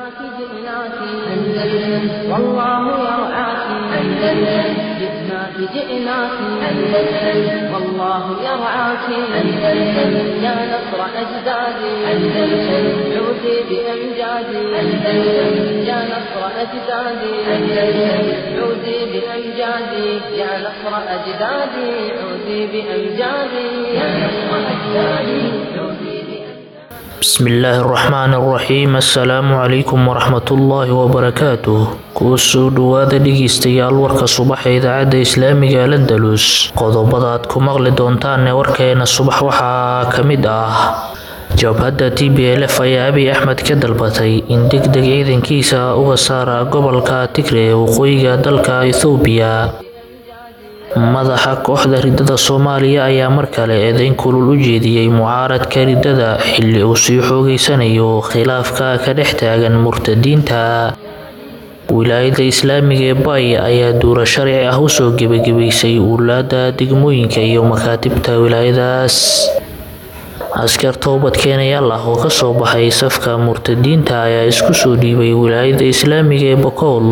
جئناك أندلس والله يرعاك أندلس جئناك جئناك أندلس والله يرعاك أندلس يا نصر أجدادي أندلس عودي بأمجادي أندلس يا نصر أجدادي أندلس عودي بأمجادي يا نصر أجدادي عودي بأمجادي يا نصر أجدادي عودي. بسم الله الرحمن الرحيم. Assalaamu calaykum waraxmatullaahi wabarakaatuh. Kusoo dhawaada dhegeystayaal warka subax ee idaacadda islaamiga Al-Andalus. Qodobada aad ku maqli doontaan ee warkeena subax waxaa ka mid ah: Jabhadda TPLF ayaa Abiy Axmed ka dalbatay in degdeg ciidankiisa uga saara gobolka Tigray ee waqooyiga dalka Itoobiya. Madaxa kooxda riddada Soomaaliya ayaa mar kale eedeyn kulul u jeediyey mucaaradka riddada xilli uu sii xoogeysanayo khilaafka ka dhex taagan murtadiinta. Wilaayadda Islaamiga ee Bay ayaa duura sharci ah usoo gebagebaysay ulaada degmooyinka iyo makaatibta wilaayadaas. Askar toobad keenayaal ah oo kasoo baxay safka murtadiinta ayaa isku soo dhiibay wilaayadda Islaamiga ee Bakool.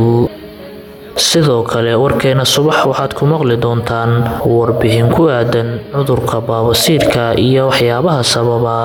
Sidoo kale warkeena subax waxaad ku maqli doontaan warbixin ku aadan cudurka baabasiirka iyo waxyaabaha sababa.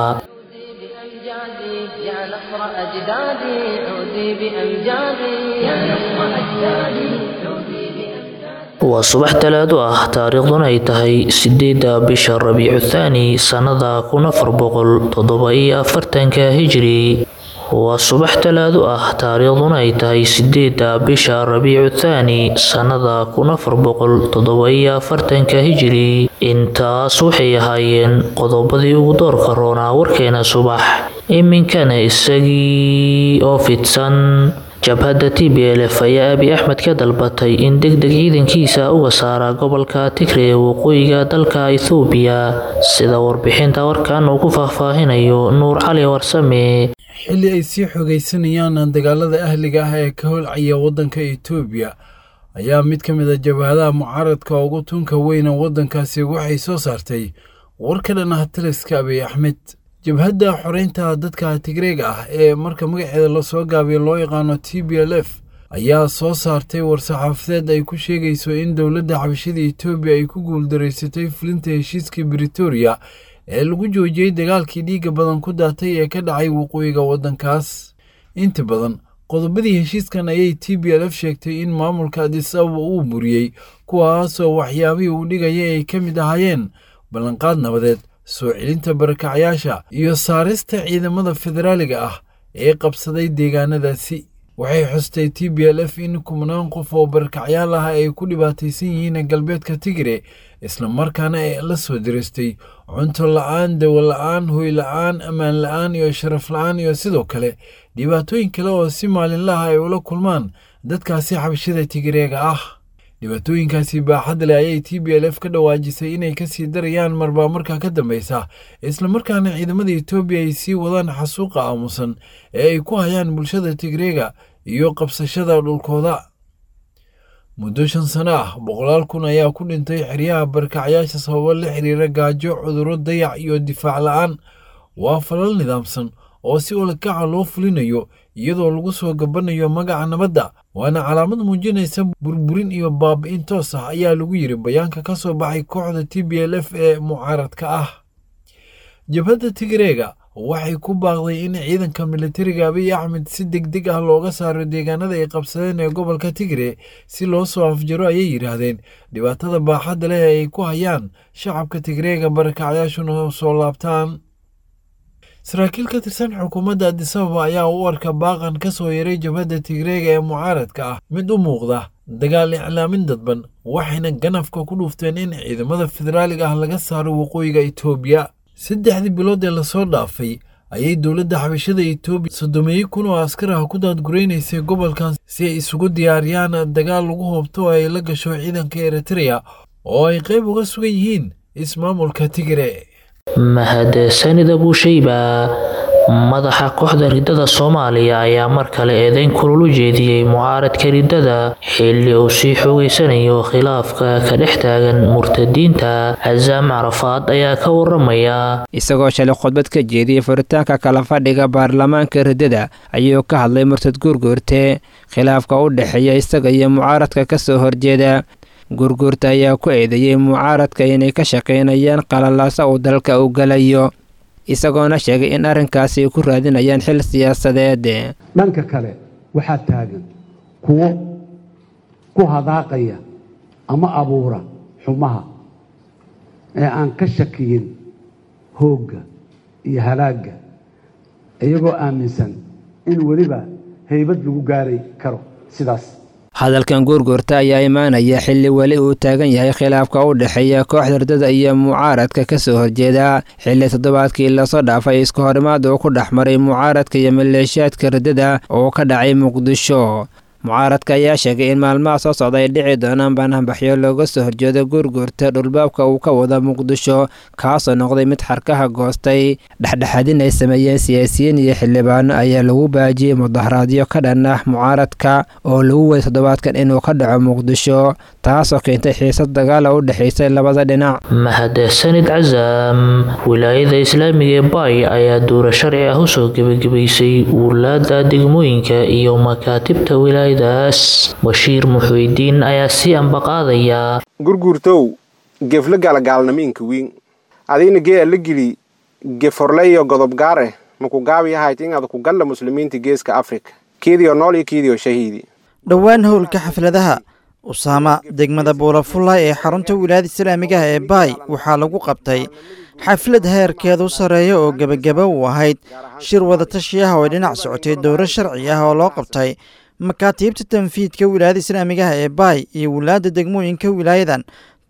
بأمجادي يا نصر أجدادي عودي بأمجادي يا نصر أجدادي عودي بأمجادي. Waa subax Talaado ah, taariikhduna ay tahay 8-da bisha Rabiicu Thaani, sannada 1447 Hijri. Waa subax Talaado ah, taariikhduna ay tahay 8-da bisha Rabiicu Thaani, sannada 1447 Hijri. Intaas waxay ahaayeen qodobadii ugu doorka roonaa warkeena subax. Iminkana isagii oo fidsan. Jabhadda TPLF ayaa Abiy Axmed ka dalbatay in degdeg ciidankiisa uga saara gobolka Tigray ee waqooyiga dalka Itoobiya, sida warbixinta warkan uu ku faahfaahinayo Nuur Cali Warsame. Xilli ay sii xogaysanayaan dagaalada ahliga ah ee ka holcaya waddanka Itoobiya, ayaa mid ka mid a jabhadaha mucaaradka ugu tunka weyna waddankaasi waxay soo saartay war ka dhan ah taliska Abiy Axmed. Jabhadda xoreynta dadka Tigreega ah ee marka magaceeda lasoo gaabiyo loo yaqaano TPLF ayaa soo saartay war-saxaafadeed ay ku sheegayso in dowladda xabashida Itoobiya ay ku guuldareysatay fulinta heshiiskii Britoria ee lagu joojiyey dagaalkii dhiigga badan ku daatay ee ka dhacay waqooyiga waddankaas. Inta badan qodobadii heshiiskan ayay TPLF sheegtay in maamulka Addis Ababa uu buriyey, kuwaasoo waxyaabihii uu dhigayay ay ka mid ahaayeen ballanqaad nabadeed, soo celinta barakacyaasha iyo saarista ciidamada federaaliga ah ee qabsaday deegaanadaasi. Waxay xustay TPLF in kumanaan qof oo barakacyaal ah ay ku dhibaataysan yihiin galbeedka Tigre, islamarkaana ay la soo diristay cunto la-aan, dawo la-aan, hoy la-aan, ammaan la-aan iyo sharaf la-aan, iyo sidoo kale dhibaatooyin kale oo si maalinlaha ay ula kulmaan dadkaasi xabashida Tigreega ah. Dhibaatooyinkaasi baaxad leh ayay TPLF ka dhawaajisay inay kasii darayaan marba markaa ka dambeysa, islamarkaana ciidamada Itoobiya ay sii wadaan xasuuqa aamusan ee ay ku hayaan bulshada Tigreega iyo qabsashada dhulkooda. Muddo 5 sano ah, boqolaal kun ayaa ku dhintay xeryaha barkacyaasha sababo la xiriira gaajo, cudurro, dayac iyo difaac la-aan. Waa falal nidaamsan oo si ulakaca loo fulinayo iyadoo lagu soo gabanayo magaca nabadda, waana calaamad muujinaysa burburin iyo baabi'in toos ah, ayaa lagu yiri bayaanka ka soo baxay kooxda TPLF ee mucaaradka ah. Jabhadda Tigreega waxay ku baaqday in ciidanka militariga Abiy Axmed si degdeg ah looga saaro deegaanada ay qabsadeen ee gobolka Tigre si loo soo afjaro, ayay yidhaahdeen, dhibaatada baaxadda leh ee ay ku hayaan shacabka Tigreega, barakacyaashuna soo laabtaan. Saraakiil ka tirsan xukuumadda Addis Ababa ayaa u arka baaqan ka soo yaray jabhadda Tigreega ee mucaaradka ah mid u muuqda dagaal iclaamin dadban, waxayna ganafka ku dhuufteen in ciidamada federaaliga ah laga saaro waqooyiga Itoobiya. 3dii bilood ee lasoo dhaafay ayay dowladda xabashada Itoobiya 30,000 oo askar ah ku daadguraynaysay gobolkan si ay isugu diyaariyaan dagaal lagu hoobto oo ay la gasho ciidanka Eritrea oo ay qayb uga sugan yihiin ismaamulka Tigre. Mahadsanid Abuushayba. Madaxa kooxda riddada Soomaaliya ayaa mar kale eedeyn kulul u jeediyey mucaaradka riddada, xilli uu sii xoogeysanayo khilaafka ka dhex taagan murtadiinta. Casaam Carafaad ayaa ka waramaya. Isagoo shalay khudbad ka jeediyey furitaanka kala fadhiga baarlamaanka riddada ayuu ka hadlay murtad Gurguurte khilaafka u dhexeeya isaga iyo mucaaradka ka soo horjeeda. Gurguurta ayaa ku eedeeyey mucaaradka inay ka shaqaynayaan qalalaasa uu dalka u galayo, isagoona sheegay in arrinkaasi ay ku raadinayaan xil siyaasadeed. Dhanka kale waxaa taagan kuwo ku hadaaqaya ama abuura xumaha ee aan ka shakiyin hoogga iyo halaagga, iyagoo aaminsan in weliba haybad lagu gaari karo sidaas. Hadalkan Gurguurta ayaa imaanaya xilli weli uu taagan yahay khilaafka u dhexeeya kooxda riddada iyo mucaaradka ka soo horjeeda, xilli toddobaadkii lasoo dhaafay isku horimaad uu ku dhex maray mucaaradka iyo maleeshiyaadka riddada oo ka dhacay Muqdisho. Mucaaradka ayaa sheegay in maalmaha soo socda ay dhici doonaan banaanbaxyo looga soo horjeedo Gurguurta dhulbaabka uu ka wada Muqdisho, kaasoo noqday mid xarkaha goostay. Dhexdhexaadin ay sameeyeen siyaasiyiin iyo xildhibaano ayaa lagu baajiyey mudaharaadyo ka dhan ah mucaaradka oo lagu waday toddobaadkan inuu ka dhaco Muqdisho, taasoo keentay xiisad dagaala u dhexaysay labada dhinac. Mahadsanid Casaam. Wilaayada islaamiga ee Baay ayaa duura sharci ah usoo gebagabaysay wulaada degmooyinka iyo makaatibta wilaayadaas. Bashiir Muxuudiin ayaa sii ambaqaadaya. Gurguurtow, gefle galagaalnamiinka wiin adiina gee la geli geforleyo godobgaare maku gaabiyahayd inaad ku galla muslimiinta geeska Afrika kiidiyo nool iyo kiidiyo shahiidi. Dhowaan howlka xafladaha Usaama degmada Buulafullay ee xarunta wilaayada islaamigaha ee Baay waxaa lagu qabtay xaflad heerkeedu sarreeya oo gebagaba u ahayd shir wadatashiyaha oo ay dhinac socotay dowro sharci ah oo loo qabtay makaatiibta tanfiidka wilaayada islaamigaha ee Baay iyo wilaayada degmooyinka wilaayadan,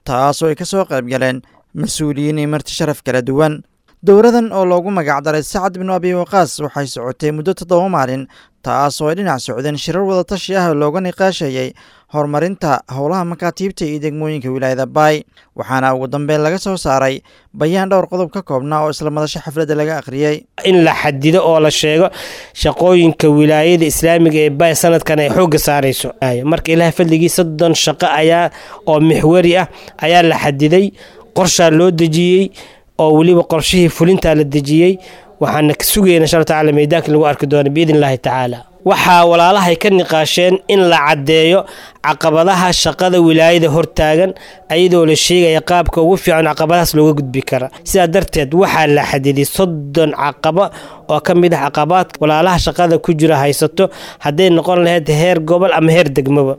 taasoo ay ka soo qayb galeen mas-uuliyiin iyo marti sharaf kala duwan. Dowradan oo loogu magacdaray Sacad binu Abi Waqaas waxay socotay muddo 7 maalin, taasoo ay dhinac socdeen shirar wadatashi ah oo looga niqaashayay horumarinta howlaha makaatiibta iyo degmooyinka wilaayada Baay. Waxaana ugu dambeyn laga soo saaray bayaan dhowr qodob ka koobnaa oo isla madasho xafladda laga akhriyey. In la xadido oo la sheego shaqooyinka wilaayada islaamiga ee Baay sanadkan ay xoogga saarayso. Marka Ilaah fadligii 30 shaqo ayaa oo mixwari ah ayaa la xadiday, qorshaa loo dejiyey oo weliba qorshihii fulintaa la dejiyey. Waxaana ka sugayna insha Allah tacaala meydaanka lagu arki doono biidni illaahi tacaala. Waxaa walaalahay ka niqaasheen in la caddeeyo caqabadaha shaqada wilaayada hortaagan, ayadoo la sheegaya qaabka ugu fiican caqabadahaas looga gudbi kara. Sidaa darteed waxaa la xadiday 30 caqabo oo ka mid ah caqabaadka walaalaha shaqada ku jira haysato, hadday noqon lahayd heer gobol ama heer degmaba.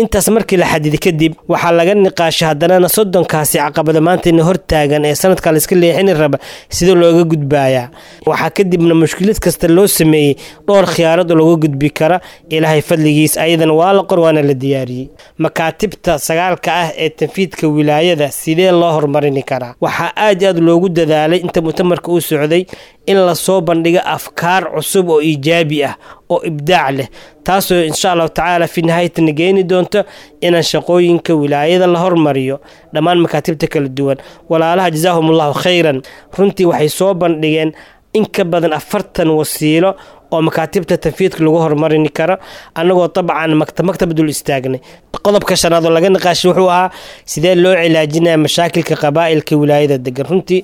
Intaas markii la xadiday kadib waxaa laga niqaashay haddanana 30kaasi caqabada maantayna hortaagan ee sanadka la iska leexini raba sida looga gudbayaa. Waxaa kadibna mushkilad kasta loo sameeyey dhowr khiyaarad oo looga gudbi kara Ilaahay fadligiis, ayadana waa la qor waana la diyaariyey. Makaatibta 9ka ah ee tanfiidka wilaayada sidee loo horumarini karaa? Waxaa aad iyo aad loogu dadaalay inta mutamarka uu socday in lasoo bandhigo afkaar cusub oo iijaabi ah oo ibdaac leh, taasoo insha allahu tacaala fi nihaayatana geeni doonto inaan shaqooyinka wilaayada la hormariyo dhammaan makaatibta kala duwan. Walaalaha jazaahum allahu khayran, runtii waxay soo bandhigeen in ka badan 40 wasiilo oo makaatibta tanfiidka lagu horumarini karo, annagoo dabcan maktab dul istaagnay. Qodobka shanaad oo laga niqaashay wuxuu ahaa sidee loo cilaajinaya mashaakilka qabaa'ilka wilaayada degan. Runtii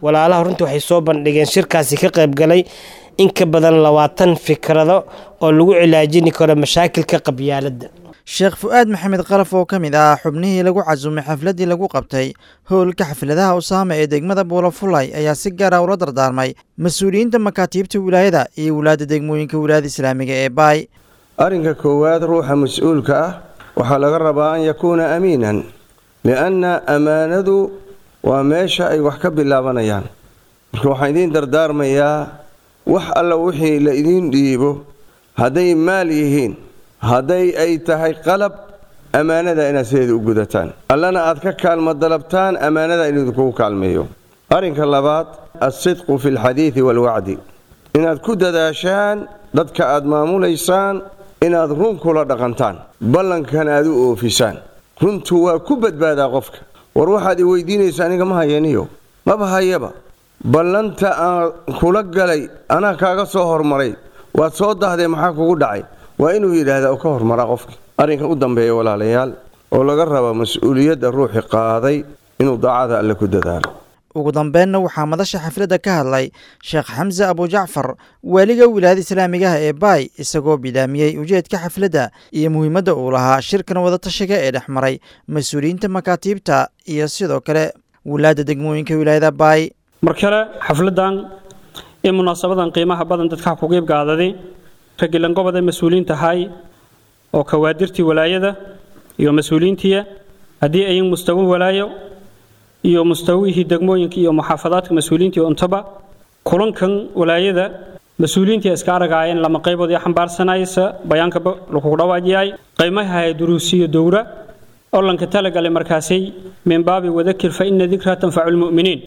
walaalaha runtii waxay soo bandhigeen shirkaasi ka qayb galay in ka badan 20 fikrado oo lagu cilaajini karo mashaakilka qabyaaladda. Sheekh Fu'aad Maxamed Qalaf oo ka mid ah xubnihii lagu casumay xafladdii lagu qabtay howlka xafladaha Usaama ee degmada Buulafulay ayaa si gaar ah ula dardaarmay mas-uuliyiinta makaatiibta wilaayada iyo wilaayada degmooyinka wilaayada islaamiga ee Baay. Arrinka koowaad, ruuxa mas-uulka ah waxaa laga rabaa an yakuuna amiinan, lianna ammaanadu waa meesha ay wax ka bilaabanayaan. Marka waxaan idiin dardaarmayaa wax alla wixii la idiin dhiibo, hadday maal yihiin, hadday ay tahay qalab, ammaanada inaad sideeda u gudataan, allana aad ka kaalmo dalabtaan ammaanada inuu idinkugu kaalmeeyo. Arrinka labaad, alsidqu fi alxadiidi waalwacdi, inaad ku dadaashaan dadka aad maamulaysaan inaad run kula dhaqantaan, ballankana aad u oofisaan. Runtu waa ku badbaadaa qofka. War waxaad i weydiinaysaa aniga ma hayaniyo, maba hayaba. Ballanta aan kula galay anaa kaaga soo hormaray, waad soo dahdee, maxaa kugu dhacay? Waa inuu yidhaahdaa oo ka hormaraa qofka. Arrinka u dambeeya, walaalayaal, oo laga raba mas-uuliyadda ruuxi qaaday, inuu daacada Alle ku dadaalo. Ugu dambeenna waxaa madasha xafladda ka hadlay Sheekh Xamse Abujacfar, waaliga wilaayada islaamigaha ee Baay, isagoo bidaamiyey ujeedka xafladda iyo muhiimadda uu lahaa shirkan wadatashiga ee dhex maray mas-uuliyiinta makaatiibta iyo sidoo kale wilaadda degmooyinka wilaayada Baay. Mar kale xafladdan iyo munaasabadan qiimaha badan dadka ku qeyb qaadaday, ragilan gobada mas-uuliyiinta ahay oo kawaadirtii walaayada iyo mas-uuliyiintiya, haddii ayin mustawi walaayo iyo mustawihii degmooyinka iyo muxaafadaadka mas-uuliyiintii untaba, kulankan walaayada mas-uuliyiintii iska aragaayeen lama qaybood iyo xambaarsanaysa bayaankaba lakugu dhawaajiyay qiimaha duruusiyo dowra oo lanka talagalay markaasay min baabi wadakir fa ina dikraa tanfacu lmu'miniin,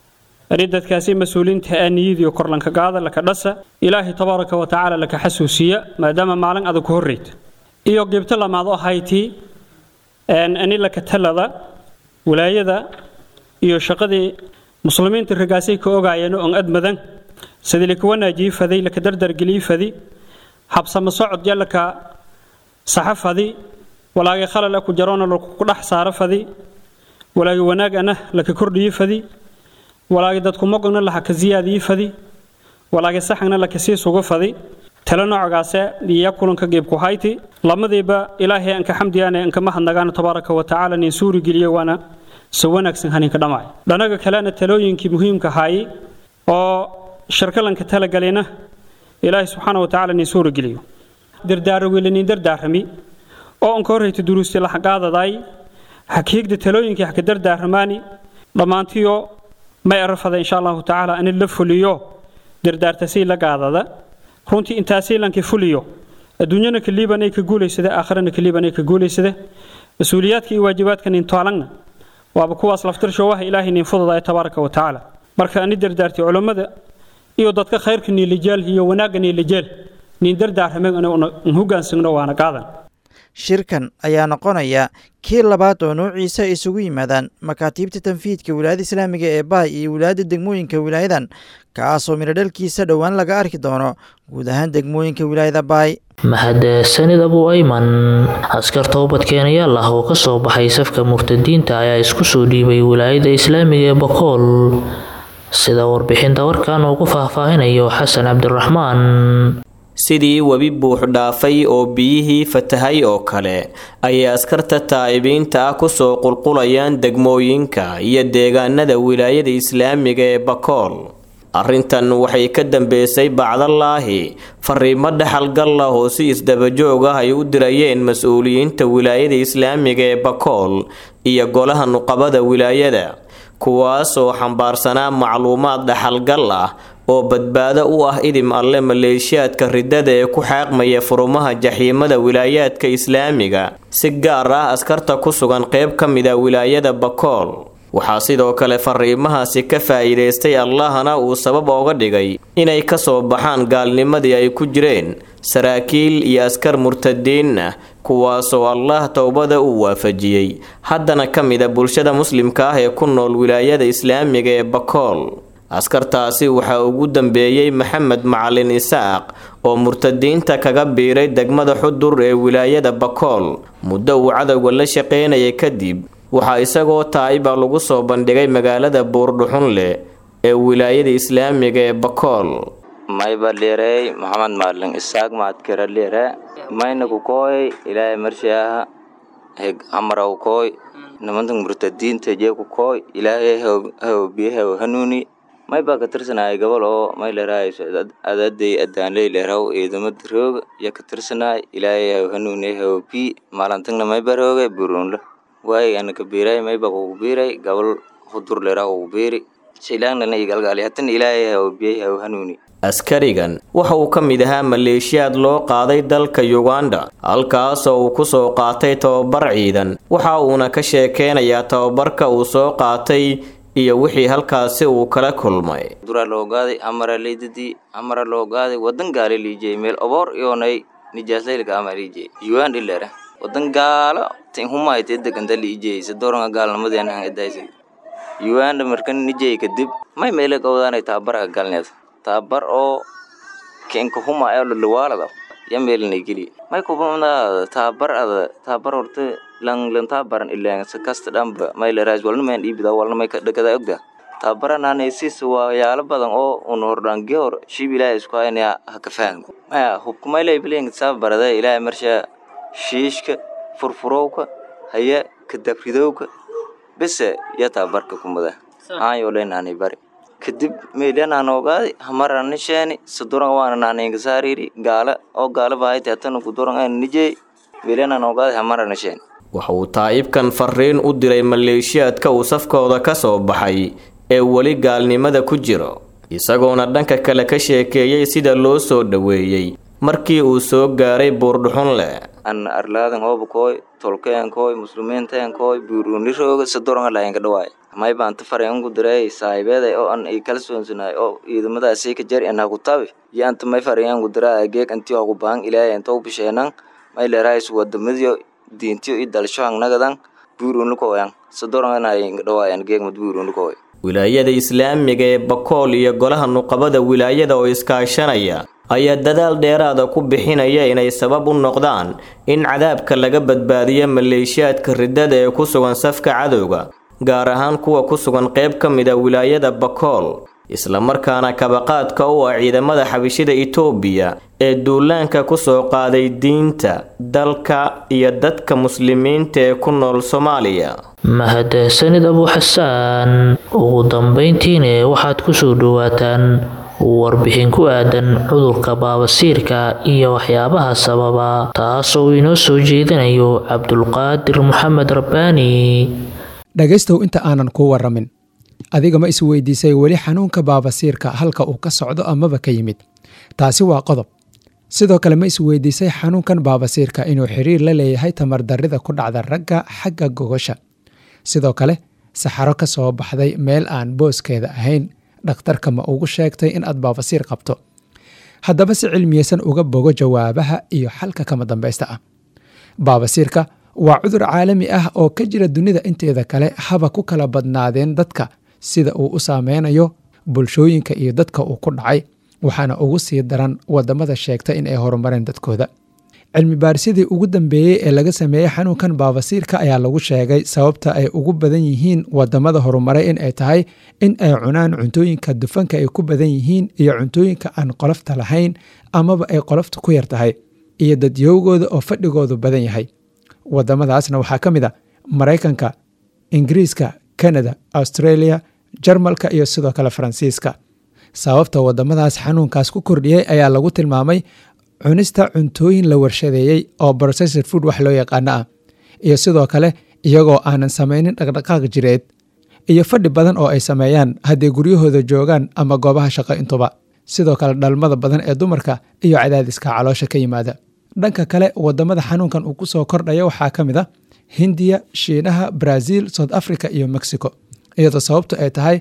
ani dadkaasi mas-uuliyiinta aa niyadiyo kor lanka qaada, laka dhasa, Ilaahay tabaaraka wa tacaala laka xasuusiya, maadaama maalin adag ku horreyta. Iyo qeybta lamaad oo haytii ani laka talada walaayada iyo shaqadii muslimiinta ragaasay ka ogaayeen oo admadan sidii laka wanaajiyey faday, laka dardargeliyey fadi, habsama socod ya laka saxa fadi, walaagay khalal ku jaroona laku dhex saaro fadi, walaagay wanaagana laka kordhiyey fadi, walaagay dadku moqogna laha ka siyaadiyey fadi, walaagay saxagna laka sii sugo fadi. Talo noocaase iyo kulanka geebku hayti lamadiiba Ilaahay aan ka xamdiyaane, aan ka mahadnagaano tabaaraka wa tacaala nin suuri geliye, waana si wanaagsan haninka dhammaay. Dhanaga kalena talooyinkii muhiimka ahaayey oo shirkalanka talagalena Ilaahay subxaana wa tacaala nin suuri geliyo, dardaaro nin dardaarami oo aan ka horreyta duruustii la xaqaadaday hakiigda talooyinkii haka dardaaramaani dhammaantiyo may arafada insha Allahu tacaala in la fuliyo dardaartasii la qaadada. Runtii intaasii lanka fuliyo, adduunyana ka liibanay ka guulaysada, aakhirana ka liibanay ka guulaysada. Mas-uuliyaadka iyo waajibaadka nin taalanna waaba kuwaas laftirsho waha Ilaahay nin fududaya tabaaraka wa tacaala. Marka ani dardaartay culammada iyo dadka khayrka niilijeel iyo wanaagga niilijeel nin dardaarramay in hogaansagno waana qaadan. Shirkan ayaa noqonaya kii labaad oo noociisa ay isugu yimaadaan makaatiibta tanfiidka wilaayada islaamiga ee Baay iyo wilaayadda degmooyinka wilaayadan, kaasoo miradhalkiisa dhowaan laga arki doono guud ahaan degmooyinka wilaayada Baay. Mahadsanid, Abu Ayman. Askar toobadkeenayaal ah oo ka soo baxay safka murtadiinta ayaa isku soo dhiibay wilaayada islaamiga ee Bakool, sida warbixinta warkan uu ku faahfaahinayo Xasan Cabdiraxmaan. Sidii webi buux dhaafay oo biyihii fatahay oo kale ayay askarta taa'ibiinta ah kusoo qulqulayaan degmooyinka iyo deegaanada wilaayada islaamiga ee Bakool. Arrintan waxay ka dambeysay bacdallaahi fariimo dhexalgal ah oo si isdabajoog ah ay u dirayeen mas-uuliyiinta wilaayada islaamiga ee Bakool iyo golaha nuqabada wilaayada, kuwaasoo xambaarsanaa macluumaad dhexalgal ah oo badbaado u ah idim Alle maleeshiyaadka riddada ee ku xaaqmaya furumaha jaxiimada wilaayaadka islaamiga, si gaar ah askarta ku sugan qeyb ka mid a wilaayada Bakool. Waxaa sidoo kale fariimahaasi ka faa'iidaystay, Allahna uu sabab ooga dhigay inay kasoo baxaan gaalnimadii ay ku jireen, saraakiil iyo askar murtadiin ah, kuwaasoo Allah towbada uu waafajiyey, haddana ka mid a bulshada muslimka ah ee ku nool wilaayada islaamiga ee Bakool. Askartaasi waxaa ugu dambeeyey Maxamed Macalin Isaaq oo murtadiinta kaga biiray degmada Xudur ee wilaayada Bakool. Muddo uu cadowga la shaqeynayay kadib, waxaa isagoo taa'iba lagu soo bandhigay magaalada Buurdhuxunleh ee wilaayada islaamiga ee Bakool. Mayba leerey Maxamed Maalin Isaaq mahadkira leere, mayna ku kooy Ilaahay marshiyaha heg amaraw kooy nimantan murtadiinta jee ku kooy, Ilaahay hawbiyaha hanuuni. May baa ka tirsanaya gobol oo may leerahay adaday adaanley leeraw ciidamada roog ya ka tirsanay, Ilaahay haw hanuuni hawbi maalintagna may barooge buruunla waay ana ka biiray, may baa kugu biiray gobol Hudur leeraw kugu biiri shilaanana igalgaali hatan, Ilaahay hawbiyay haw hanuuni. Askarigan waxa uu ka mid ahaa maleeshiyaad loo qaaday dalka Yuganda, halkaasoo uu ku soo qaatay tababar ciidan. Waxa uuna ka sheekeynayaa tababarka uu soo qaatay iyo wixii halkaasi uu kala kulmay. Duraa loo gaaday amara leydadii amara loo gaaday wadan gaale liijey meel oboor iyoonay nijaaslaylka ama liijey Uganda ilera wadan gaalo tin humaaytee deganta liijey sadooranka gaalnimadeena han edaysay. Uganda markan nijay kadib may meele qowdaanay tababarka galneed tababar oo kenka huma ee lawaalada ya meelna geli may kubamna tababar ada tababar horta lang lan tababaran ilaan sakasta dhanba may la raas walna may dhiibida walna may ka dhagada ogda tababarananaysis waa yaalo badan oo un hordhaange hor shiib ilaahay isku haynaya ha ka fahanko maya hubka may laybileen tababarada ilaahay marsha shiishka furfurowka haya kadabridowka bese ya tababarka kumada aan yooleynaanay bari kadib meelanaan ogaadi hamarana sheeni saduran waana naaneengasaariri gaala oo gaala baahayta hatana kuduran aan nijey meelanaan ogaadi hamarana sheeni. Waxa uu taa'ibkan fariin u diray maleeshiyaadka uu safkooda ka soo baxay ee weli gaalnimada ku jiro, isagoona dhanka kale ka sheekeeyey sida loo soo dhoweeyey markii uu soo gaaray Buurdhuxunle. An arlaadan hooba kooy tolkeen kooy muslimiinteen kooy buurunirooga saduran lahayn ka dhawaay may baan ta fareen ku diray saaxiibeeday oo an ay kala soonsanaay oo ciidamadaasi ka jar in ha ku tabi iyo anta may fareen ku diray geeg intii ugu baahan ilaahay inta u bisheenan may leerays wadamadiyo diintiyo iyo dalsho nagadan buurunukooyan saduran lahayn ka dhawaay geeg mad buurunukooy. Wilaayada islaamiga ee Bakool iyo golaha nuqabada wilaayada oo iskaashanaya ayaa dadaal dheeraada ku bixinaya inay sabab u noqdaan in cadaabka laga badbaadiyo maleeshiyaadka riddada ee ku sugan safka cadowga, gaar ahaan kuwa ku sugan qayb ka mid a wilaayada Bakool, islamarkaana kabaqaadka u ah ciidamada xabashida Itoobiya ee duulaanka ku soo qaaday diinta, dalka iyo dadka muslimiinta ee ku nool Soomaaliya. Mahadsanid Abu Xasaan. Ugu dambeyntiina waxaad ku soo dhawaataan warbixin ku aadan cudurka baabasiirka iyo waxyaabaha sababa, taasoo inoo soo jeedinayo Cabdulqaadir Maxamed Rabbaani. Dhegaystow, inta aanan kuu warramin, adiga ma isweydiisay weli xanuunka baabasiirka halka uu ka socdo amaba ka yimid? Taasi waa qodob. Sidoo kale ma isweydiisay xanuunkan baabasiirka inuu xiriir la leeyahay tamardarrida ku dhacda ragga xagga gogosha? Sidoo kale saxaro ka soo baxday meel aan booskeeda ahayn dhakhtarka ma ugu sheegtay in aad baabasiir qabto? Haddaba si cilmiyeysan uga bogo jawaabaha iyo xalka kama dambaysta ah. Baabasiirka waa cudur caalami ah oo ka jira dunida inteeda kale, haba ku kala badnaadeen dadka sida uu u saameynayo bulshooyinka iyo dadka uu ku dhacay, waxaana ugu sii daran wadamada sheegta in ay horumareen dadkooda. Cilmi baarisyadii ugu dambeeyey ee laga sameeyey xanuunkan baabasiirka ayaa lagu sheegay sababta ay ugu badan yihiin wadamada horumaray in ay tahay in ay cunaan cuntooyinka dufanka ay ku badan yihiin iyo cuntooyinka aan qolofta lahayn amaba ay qolofta ku yar tahay, iyo dadyowgooda oo fadhigoodu badan yahay. Wadamadaasna waxaa ka mid a Maraykanka, Ingiriiska, Canada, Australia, Jarmalka iyo sidoo kale Faransiiska. Sababta wadamadaas xanuunkaas ku kordhiyey ayaa lagu tilmaamay cunista cuntooyin la warshadeeyey oo processed food wax loo yaqaano ah, iyo sidoo kale iyagoo aanan samaynin dhaqdhaqaaq jireed iyo fadhi badan oo ay sameeyaan hadday guryahooda joogaan ama goobaha shaqo intuba. Sidoo kale dhalmada badan ee dumarka iyo cadaadiska caloosha ka yimaada. Dhanka kale wadamada xanuunkan uu ku soo kordhaya waxaa ka mid a Hindiya, Shiinaha, Brazil, South Africa iyo Mexico, iyadoo sababtu ay tahay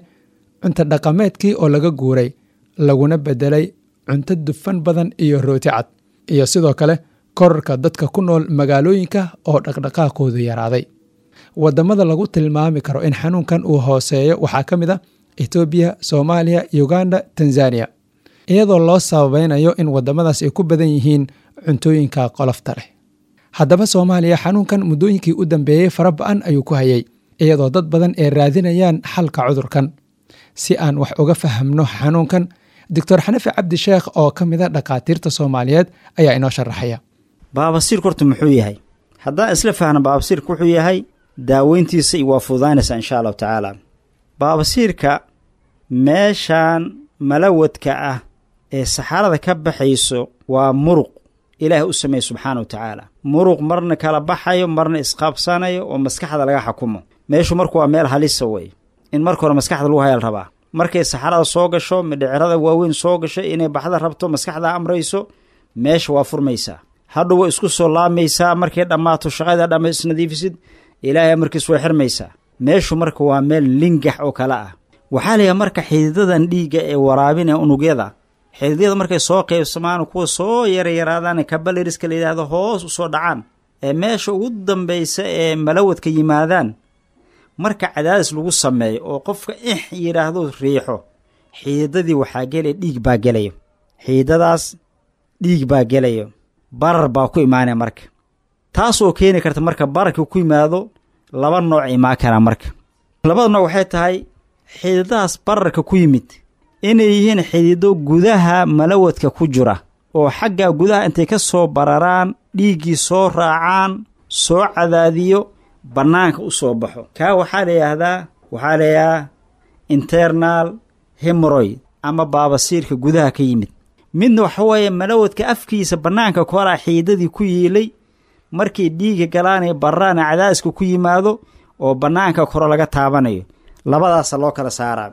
cunto dhaqameedkii oo laga guuray laguna bedelay cunto dufan badan iyo rooti cad, iyo sidoo kale korarka dadka ku nool magaalooyinka oo dhaqdhaqaaqoodu yaraaday. Wadamada lagu tilmaami karo in xanuunkan uu hooseeyo waxaa ka mid a Etoobiya, Soomaaliya, Uganda, Tanzania, iyadoo loo sabaynayo in wadamadaas ay ku badan yihiin cuntooyinka qolofta leh. Haddaba Soomaaliya xanuunkan muddooyinkii u dambeeyey fara ba-an ayuu ku hayay, iyadoo dad badan ay raadinayaan xalka cudurkan. Si aan wax uga fahamno xanuunkan, Doctor Xanafi Cabdi Sheekh oo ka mid a dhakhaatiirta Soomaaliyeed ayaa inoo sharaxaya. Baabasiirku horta muxuu yahay? Haddaan isla fahno baabasiirku wuxuu yahay, daaweyntiisa waa fududaynaysaa insha allahu tacaala. Baabasiirka meeshaan malawadka ah ee saxarada ka baxayso waa muruq Ilaahay u sameeyey subxaana wa tacaala. Muruq marna kala baxayo marna isqaabsanayo oo maskaxda laga xakumo. Meeshu marku waa meel halisa wey, in marka hore maskaxda lagu hayaa la rabaa. Markay saxarada soo gasho, midhicirada waaweyn soo gasho, inay baxda rabto, maskaxda amrayso, meesha waa furmaysaa. Hadhow way isku soo laamaysaa. Markay dhammaato shaqada dhamma isnadiifisid, Ilaahay amarkiis way xirmaysaa. Meeshu marka waa meel lingax oo kale ah. Waxaa layahay marka xididadan dhiigga ee waraabinaya unugyada, xididyada markay soo qaybsamaan, kuwa soo yaryaraadaan kabaleriska la yidhaahdo hoos usoo dhacaan ee meesha ugu dambaysa ee malawadka yimaadaan, Marka cadaadis lagu sameeyo oo qofka ix yidhaahdo riixo, xiidadii waxaa gelaya dhiig baa gelayo, xiidadaas dhiig baa gelayo, barar baa ku imaanaya. Marka taasoo keeni karta marka bararka ku yimaado laba nooc imaan karaa. Marka labada nooc waxay tahay xididadaas bararka ku yimid inay yihiin xidido gudaha malawadka ku jira oo xagga gudaha intay ka soo bararaan dhiiggii soo raacaan soo cadaadiyo bannaanka u soo baxo. Kaa waxaa la yidhaahdaa waxaa la yidhahdaa internal hemoroid ama baabasiirka gudaha ka yimid. Midna waxa weeye malawadka afkiisa bannaanka koraa xiidadii ku yiilay, markay dhiigga galaanay bararaana cadaadiska ku yimaado oo bannaanka koro laga taabanayo. Labadaasa loo kala saaraa.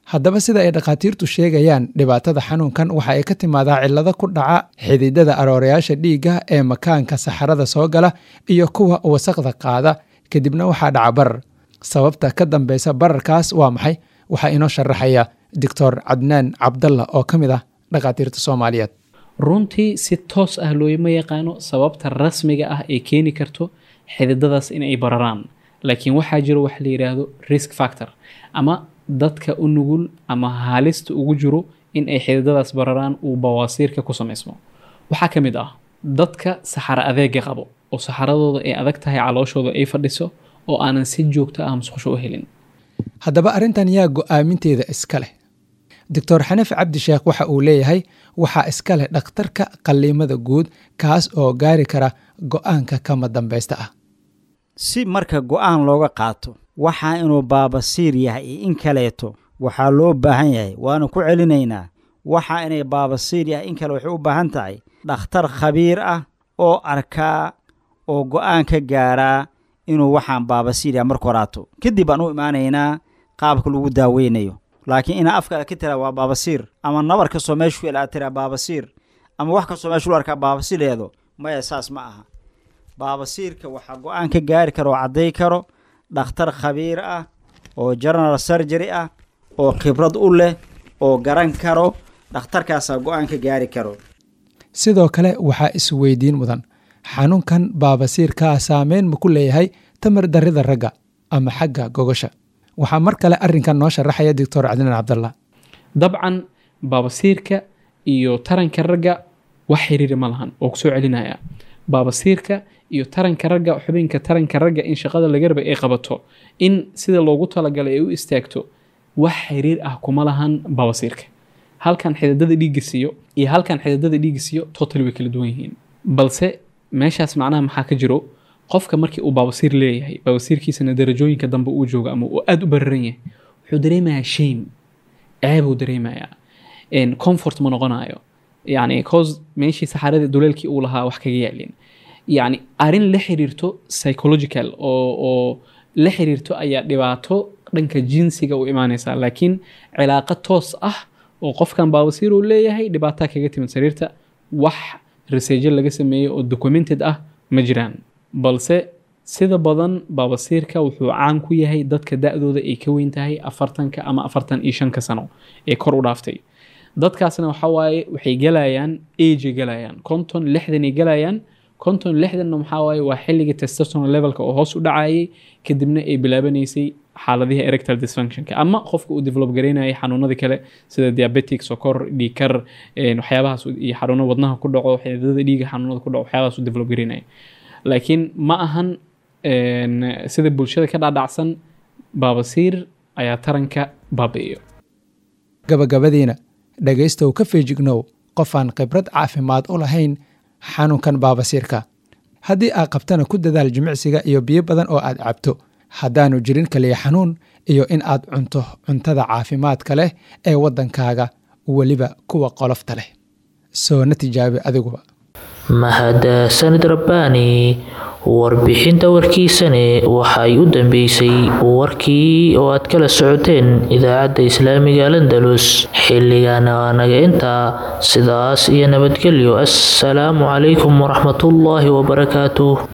Haddaba sida ay dhakhaatiirtu sheegayaan, dhibaatada xanuunkan waxa ay ka timaadaa cillado ku dhaca xididada aroorayaasha dhiigga ee makaanka saxarada soo gala iyo kuwa wasaqda qaada, kadibna waxaa dhaca barar. Sababta ka dambeysa bararkaas waa maxay? Waxaa inoo sharaxaya Doctor Cadnaan Cabdalla oo ka mid ah dhakhaatiirta Soomaaliyeed. Runtii si toos ah looma yaqaano sababta rasmiga ah ee keeni karto xididadaas in ay bararaan, laakiin waxaa jiro wax la yidhaahdo risk factor ama dadka u nugul ama halista ugu jiro in ay xididadaas bararaan uu bawaasiirka ku samaysmo. Waxaa ka mid ah dadka saxaro adeega qabo oo saxaradooda ay adag tahay, calooshooda ay fadhiso oo aanan si joogto ah musqusho u helin. Haddaba arrintan yaa go'aaminteeda iska leh? Doctor Xaniif Cabdi Sheekh waxa uu leeyahay waxaa iska leh dhakhtarka qalliimada guud, kaas oo gaari kara go'aanka kama dambaysta ah. Si marka go'aan looga qaato waxaa inuu baabasiir yahay iyo in kaleeto, waxaa loo baahan yahay, waanu ku celinaynaa, waxa inay baabasiir yahay in kale waxay u baahan tahay dhakhtar khabiir ah oo arkaa oo go'aan ka gaaraa inuu waxaan baabasiir yahay marka horaato. Kadib baan u imaanaynaa qaabka lagu daaweynayo. Laakiin inaa afkaada ka tiraa waa baabasiir, ama nabar kastoo meeshu ku aad tiraa baabasiir, ama wax kastoo meeshu lu arkaa baabasiir leedo, maya, saas ma aha. Baabasiirka waxaa go'aan ka gaari karo oo cadday karo dhakhtar khabiir ah oo general surgery ah oo khibrad u leh oo garan karo, dhakhtarkaasaa go'aan ka gaari karo. Sidoo kale waxaa isweydiin mudan, xanuunkan baabasiirkaa saameyn ma ku leeyahay tamar darrida ragga ama xagga gogosha? Waxaa mar kale arrinkan noo sharaxaya Doctor Cadnaan Cabdallah. Dabcan baabasiirka iyo taranka ragga wax xiriiri ma lahan oo kusoo celinaya. Baabasiirka iyo taranka ragga, xubinka taranka ragga in shaqada laga rabay ay qabato, in sida loogu talagalay ay u istaagto, wax xiriir ah kuma lahan baabasiirka. Halkan xididada dhiigga siiyo iyo halkan xididada dhiigga siiyo totally way kala duwan yihiin. Balse meeshaas macnaha maxaa ka jiro? Qofka markii uu baabasiir leeyahay, baabasiirkiisana darajooyinka dambe uu joogo ama uu aada u bararan yahay, wuxuu dareemayaa shame, ceebuu dareemayaa, comfort ma noqonayo, yani cause meeshii saxaradii duleelkii uu lahaa wax kaga yaalin. Yani arrin la xiriirto psychological oo la xiriirto ayaa dhibaato dhanka jinsiga u imaanaysa, laakiin cilaaqo toos ah oo qofkan baabasiir uu leeyahay dhibaataa kaga timid sariirta, wax research laga sameeyey oo documented ah ma jiraan. Balse sida badan baabasiirka wuxuu caan ku yahay dadka da-dooda ay ka weyn tahay 40-ka ama 45-ka sano ee kor u dhaaftay. Dadkaasna waxa waaye waxay galayaan age galayaan 50, 60 ay galayaan. 50, 60-na maxaa waaye? Waa xilliga testosterone levelka oo hoos u dhacayay, kadibna ay bilaabanaysay xaaladihii erectile dysfunctionka ama qofka uu develop gareynayay xanuunadii kale sida diabetic, sokor, dhiigkar, waxyaabahaas iyo xanuuno wadnaha ku dhaco, xididada dhiiga xanuunada ku dhaco, waxyaabahaas uu develop gareynayay. Laakiin ma ahan sida bulshada ka dhaadhacsan baabasiir ayaa taranka baabi'iyo. Gabagabadiina, dhegaystow, ka feejignow qof aan khibrad caafimaad u lahayn xanuunkan baabasiirka. Haddii aad qabtana, ku dadaal jimicsiga iyo biyo badan oo aad cabto haddaanu jirin kaliya xanuun, iyo in aad cunto cuntada caafimaadka leh ee waddankaaga, weliba kuwa qolofta leh. Soona tijaabi adiguba. Mahadsanid Rabbaani. Warbixinta warkiisane waxa ay u dambeysay warkii oo aad kala socoteen idaacadda islaamiga Alandalus. Xilligaana waa naga intaa, sidaas iyo nabadgelyo. Assalaamu calaykum waraxmatullaahi wabarakaatuh.